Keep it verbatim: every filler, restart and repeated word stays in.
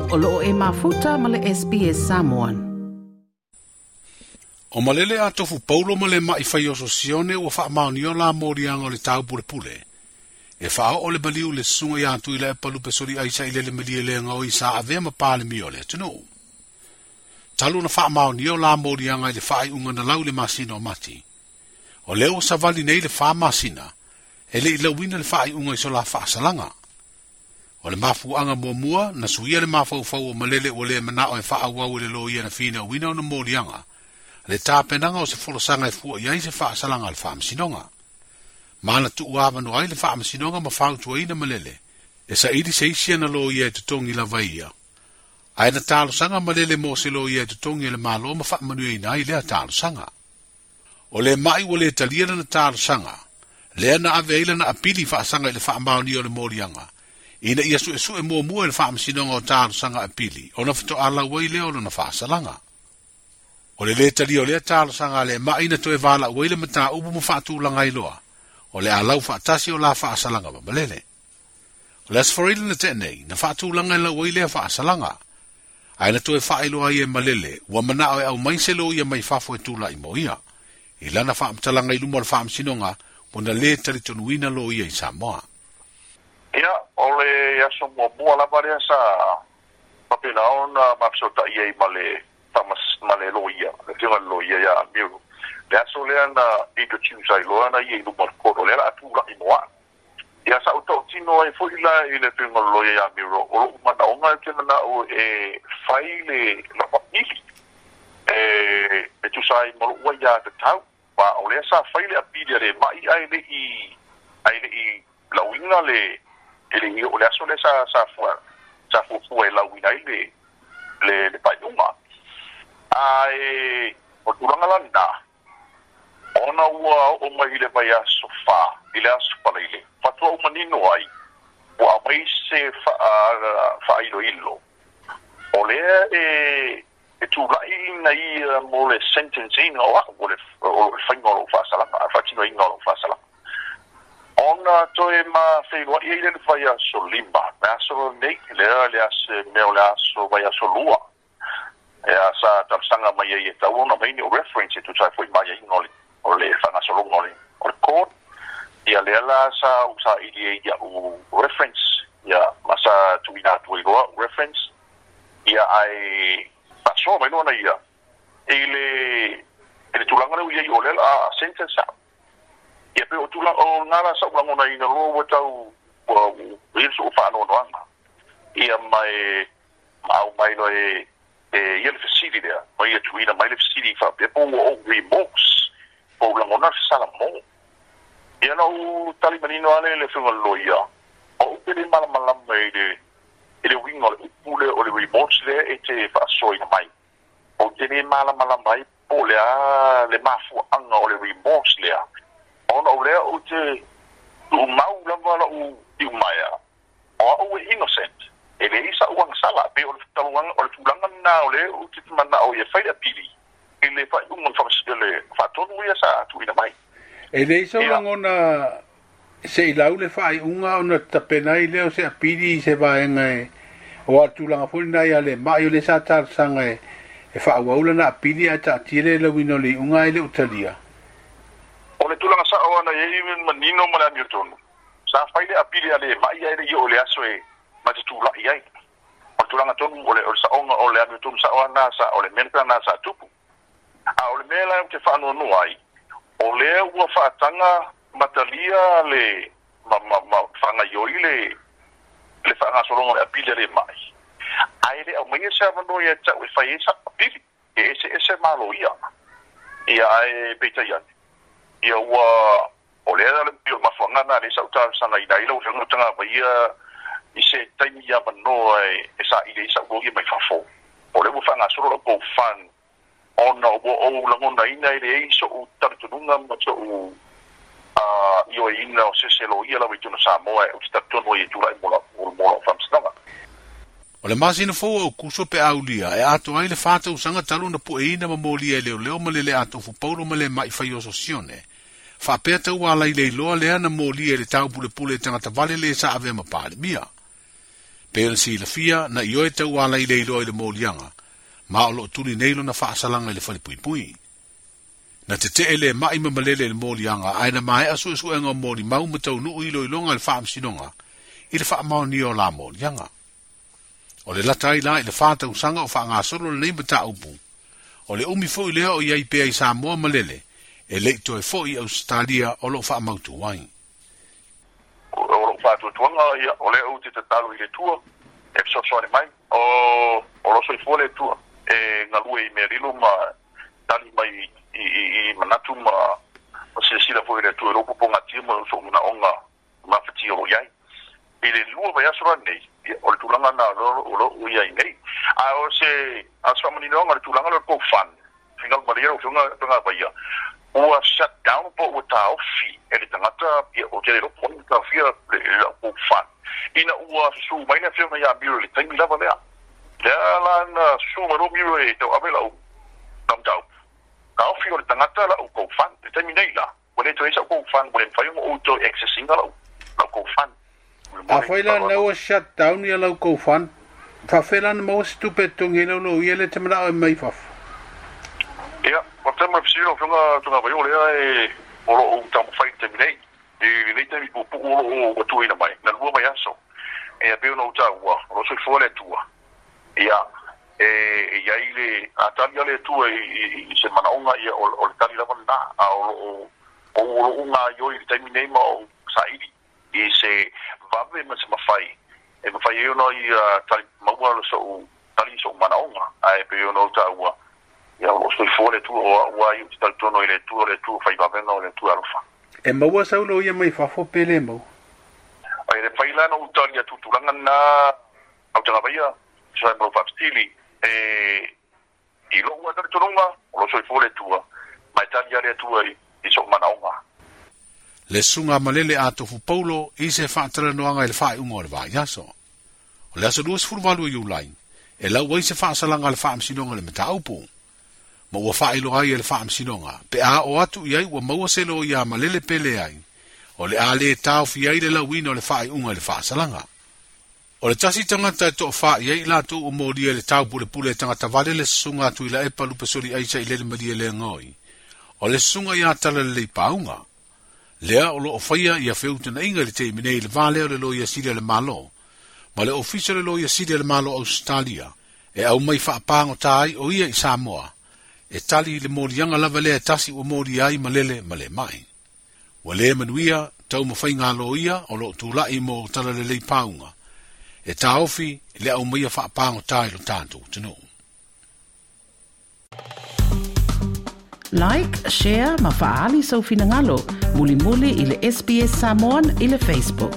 O loo e mafuta ma le S B S Samoan. O malele a tofu paulo ma le mai whai oso sione ua wha maunio la morianga o le tau pule pule. E wha o le maliu le sunga i atu i le palupe sori aisa i lele malie le ngau i sa avea ma pāle mi o le atunu. Talu na wha maunio la morianga i le whaai unga na lau le masina o mati. O leo savali nei le wha masina, e le ilauina le whaai unga i so la whaasalanga. O le mafu anga mua mua, na suia le mafaufau o malele o le mana o e wha au le lo ia na whina o wina o na morianga. Le tāpenanga o se folosanga e fua iai se whaasalanga le whaamasinonga. Mana tuuawa no ai le whaamasinonga ma whautua ina malele. E sa iri se isi ana lo ia e tutongi lava ia. Ae na tālosanga malele mo se lo ia e tutongi le malo ma whaamanua ina ai lea tālosanga. O le mai o le talia na tālosanga. Lea na ave eila na apili whaasanga i le whaamaoni o le morianga. Ina ia sue sue mua mua i le whaamasinonga o tālosanga apili. O na whatoa alau ai lea o na whaasalanga. O le le tali o lea tālosanga le mai na toe wāla uele mata upu mo whaatūlanga iloa. O le alau whaatasi o la whaasalanga ma malele. O le asforila na tēnei, na whaatūlanga ila ua lea whaasalanga. Ai na toe whaailoa ia malele, ua manao e au mai se lo ia mai fafo e tūla i mo ia. I lana whaamtalanga i luma o le whaamsinonga, o na le talitonuina lo ia i Samoa. Ia, o le aso muamua lava lea sa papena ona mafesootai ai ma le ma le loia, le fioga le loia ia Amiru. Le aso lea na introduce ai loa na ia i luma o le koro, lea la atula'i mo a'u. Ia sa utautino ai fo'i la i le fioga le loia ia Amiru, o lo'u manaoga e te mana'o e fai le lapapili, e, e tusa ai ma lo'u ai ia tatau. Ma o lea sa fai le apili a le ma'i ai le'i ai le'i lauiga le e le o le aso lea sa sa fua sa fuafua e lauina ai le le le faaiuga. Ae o tulaga lana ona ua oo mai i le vaiaso fā i le aso falaile faatoa uma nino ai ua aumai se faailoilo o lea e e tula'i ina ia mo le sentencing o a'u o le o le faiga o lou faasalaga faatinoina o lou faasalaga ona toe mafeiloa'i ai le le vaiaso lima le aso lenei lea le ase mea o le aso vaiaso lua. Ia sa talosaga mai ai e tau ona mai ni o reference e tusa ai fo'i maiaiga o le o le faagasologa o le o le court. Ia lea la sa usaili ai ia'u reference ia ma sa tuuina atu ai loa reference ia ae faasoa mai loa na ia i le i le tulaga lea ua iai o lea la sentence a'u. Ia pe o tulaga o lena la sa'u lagonaina loa ua tau ua ia le so'u faanoanoaga. Ia ma e ma aumai loa e e ia le fesili lea ma ia tuuina mai le fesili faapea po ua ou remorse po ou lagona le fesalamo. Ia na ou tali manino ale le afioga le loia o ou pe le malamalama i le i le uiga o le upu lea o le remorse lea e te faasoaina mai. Ou te lē malamalama ai po o le a le mafuaaga o le remorse lea ona o lea ou te tuumau lava la'u iumaea o a'u e innocent. E leai sa'u agasala pe o le taluaga o le tulaga lena o lea ou te mana'o ia fai le apili i le faaiuga o le faatonu ia sa tuuina mai. E leai sau lagona se i lau le faaiuga ona tapenai lea o se apili i se vaega e o a tulaga foi lena ia le ma'i o le sa talosaga e e faaauau lana apili ae taatia le lauina o le iuga ai le utalia. O le tulaga sa'o ana iai manino ma le amiotonu. Sa fai le apili a le ma'i ae le'i oo le aso e ma te tula'i ai. O le tulaga tonu o le o le sa'oga o le amiotonu sa'o ana sa o le mea lena sa tupu. A o le mea la ou te faanoanoa ai, o lea ua faataga matalia le ma ma ma faagaioi le le faagasologa o le apili a le ma'i. Ae le aumaia se avanoa ia ta'u e fai ai sa'u apili e eseese malo ia. Ia ae peitai ane. Ia ua o lea le o le mafuaaga lena lea sa ou talosagaina ai lau afioga tagavaia i se taimi avanoa e e saili ai sa'u loia mai fafo. O lea ua faagasolo la'u GoFund ona ua ou lagonaina e leai so'u talitonuga ma so'u ioeina o sese loia lava i tona Samoa e ou te talitonu ai e tula'i mo la'u mo la'u faamasinoga. O le masina fou o kuso pe aulia e ato ai le whātausaga talu na pueina ma molia e leoleo ma lele atofu paulo ma le mai whai oso sione. Whaapea tau alai leiloa lea na molia e le tau pule pule tangata vale le sa ave ma pāle mia. Pe ona silafia na ioe tauala i le iloa i le moliaga, ma o loo tuli nei lona faasalaga i le falepuipui. Na tetee le mai ma malele i le moliaga ae na maea suesuega o molimau ma taunuu iloiloga i le faamasinoga i le faamaonia o la moliaga. O le lata ai la i le fa tausaga o faagasolo lenei mataupu. O le umi foi lea o i ai pea i Samoa malele, e lei toe foi i Ausetalia o loo faamautu ai. O lou faatuatuaga ia o lea ou te tatalo i le Atua e fesoasoani mai o o lo soifua le Atua e galue i mea lilo ma tali mai i, i, i manatu ma ma silasila foi i le Atua i lou popogatia ma sou manaoga mafatia o lo iai i le lua vaiaso lanei o le tulaga na o loo i ai nei a o se a se faamaninoga le tulaga lea o le GoFund fingalu malie lau afioga Togavaia ua shut down po ua taofi e le tagata o te le iloa po o ai na taofia le lau GoFund ina ua susū mai le afioga ia Miro i le taimi lava lea lea la na susū mai loa Miro e tauave lau lau mataupu taofi o le tagata lau GoFund le taimi nei la ua le toe ai sau GoFund ua le mafai ona ou toe access ina lau lau GoFund. Afai la na ua shut down ia lau GoFund, faafefea la ona maua se tupe e totogi ai lau loia lea e te manao e mai fafo? Ia, faafetai mo le fesili lau Afioga Togavaio o lea e o loo taumafai i le taimi nei. I lenei taimi puupuu o loo ua tuuina mai, na lua vaiaso. Ia pei ona ou taua, o loo soifua le Atua. Ia, e i ai le a tali a le Atua i, i se manaoga ia o, o le tali lava lena. A o loo o loo gaioi i le taimi nei ma ou saili i se vave ma se mafai e mafai ai ona ia tali maua lo sou tali i sou manaoga ae pei ona ou taua ia o loo soifua le Atua o au lava ia ou te talitonu i le Atua o le Atua fai vavega o le Atua alofa. E maua sau loia mai fafo pe le maua? E le mafai la ona ou tali atu i tulaga lena Autagavaia tusa ai ma lou faafesili e i lou lava talitonuga o loo soifua le Atua ma e tali lava le Atua i sou manaoga. Le susuga a Malele a Tofu Paulo i se faatalanoaga i le faaiuga o le vaiaso. O le aso luasefulu valu o Iulai, e lau ai se faasalaga a le faamasinoga i le mataupu. Ma ua faailoa ai e le faamasinoga, pe a oo atu i ai ua maua se loia a Malele pe leai, o le a lē taofi ai le lauina o le faaiuga i le faasalaga. O le tasi tagata e toafā i ai i latou ua molia i le taupulepule e tagata vale le susuga a Tuilaepa Lupesoli'aisa i lele Malielegaoi, o le susuga ia Talalelei Pauga. Lea o loo faia ia feutanaiga i le taimi nei i le va lea o le Loia Sili a le Malo ma le Ofisa o le Loia Sili a le Malo o Ausetalia e aumai faapagota ai o ia i Samoa e tali i le moliaga lava lea e tasi ua molia ai Malele ma le mai. Ua lē manuia taumafaiga a loia o loo tula'i mo Talalelei Pauga e taofi le aumaia faapagota i lo tatou atunuu. Like, share ma faaali sou finagalo mulimuli i le S B S Samoan i le Facebook.